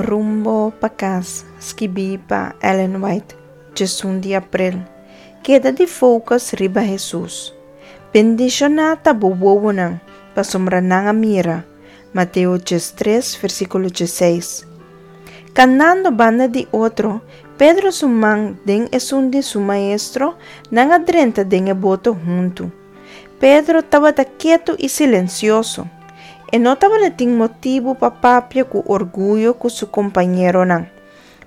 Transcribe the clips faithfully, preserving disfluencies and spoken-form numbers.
Rumbo pa Kas, skibí pa Ellen White, diesun di aprel. Keda di focus riba Hesus. Bendishoná ta bo wowonan, pasobra nan a mira. Mateo diestres, versíkulo diesseis. Kanando banda di otro, Pedro su man den esun di su maestro, nan a drenta den e boto huntu. Pedro tabata ketu i silensioso. E no tabatin motibu pa papia ku orguyo ku su kompañeronan.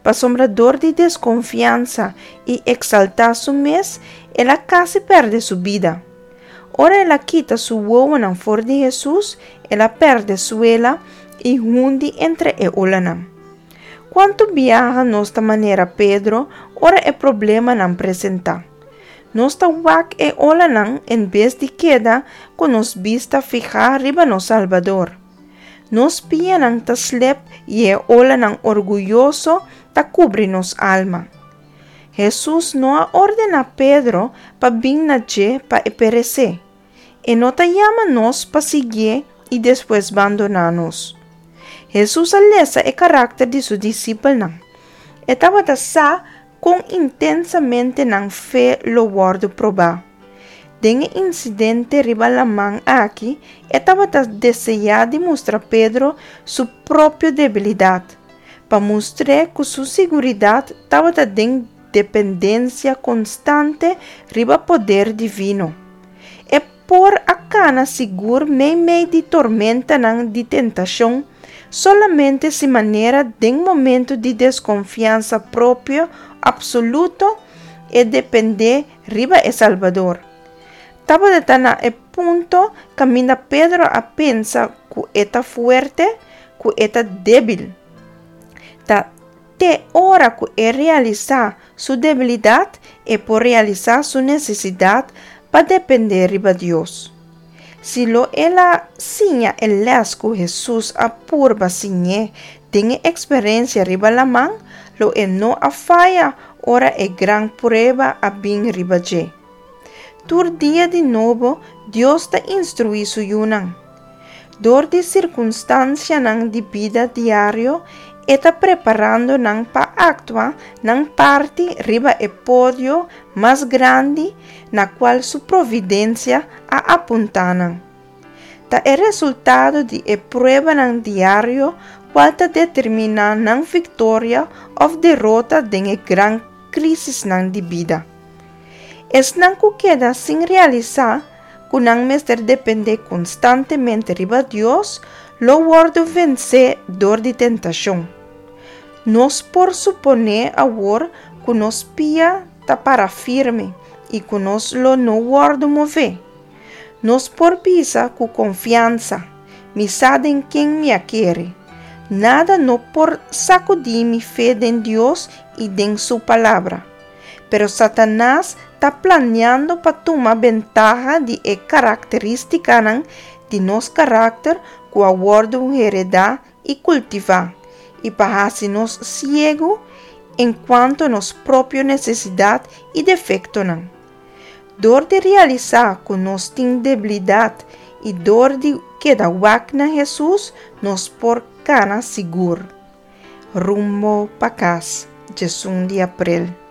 Pasobra dor di deskonfiansa i eksaltá su mes, el a kasi pèrdè su bida. Ora el a kita su wowonan for di Hesus, el a pèrdè suela i hundi entre e olanan. Kuantu biaha nos ta manera Pedro ora e problemanan presentá? Nos ta wak e olanan en bes di keda ku nos bista fihá riba nos Salbador. Nos pianan ta slep i e olanan orguyoso ta kubri nos alma. Hesus no a ordená Pedro pa bin na dje pa e peresé. E no ta yama nos pa siguié i despues bandoná nos. Hesus a lesa e karakter di su disipelnan. E tabata sa kon intensamente nan fe lo wòrdu probá. Den e insidente riba laman aki, e tabata deseá di mustra Pedro su propio debilidat, pa mustr'é ku su seguridat tabata den dependensia konstante riba poder divino. E por a kana sigur meimei di tormentanan di tentashon solamente si manera den momento di deskonfiansa propio apsoluto e dependé riba e Salbador. Tabata na e punto kaminda Pedro a pensa ku e ta fuerte, ku e ta débil. Ta te ora ku e realisá su debilidat e por realisá su nesesidat pa dependé riba Dios. Si lo el a siña e lès ku Hesus a purba siñ'é den e eksperensia riba laman, lo e no a faya ora e gran prueba a bin riba dje. Tur dia di nobo Dios ta instruí su yunan. Dor di sirkunstansianan di bida diario, e ta preparando nan pa aktua nan parti riba e podio mas grandi na kual su providensia a apuntá nan. Ta e resultado di e pruebanan diario kual ta determiná nan viktoria òf derota den e gran krísisnan di bida. Esnan ku keda sin realisá ku nan mester dependé konstantemente riba Dios lo wòrdu vensé dor di tentashon. Nos por suponé awor ku nos pia ta para firme i ku nos lo no wòrdu mové. Nos por bisa ku konfiansa, Mi sa den ken mi a kere. Nada no por sakudí mi fe den Dios i den su palabra. Pero Satanas ta planiando pa tuma bentaha di e karakterístikanan di nos karakter ku a wòrdu heredá i kultivá, i pa hasi nos siegu enkuanto nos propio nesesidat i defektonan. Dor di realisá ku nos tin debilidat i dor di keda wak na Hesus, nos por kana sigur. Rumbo pa Kas, diesun di aprel.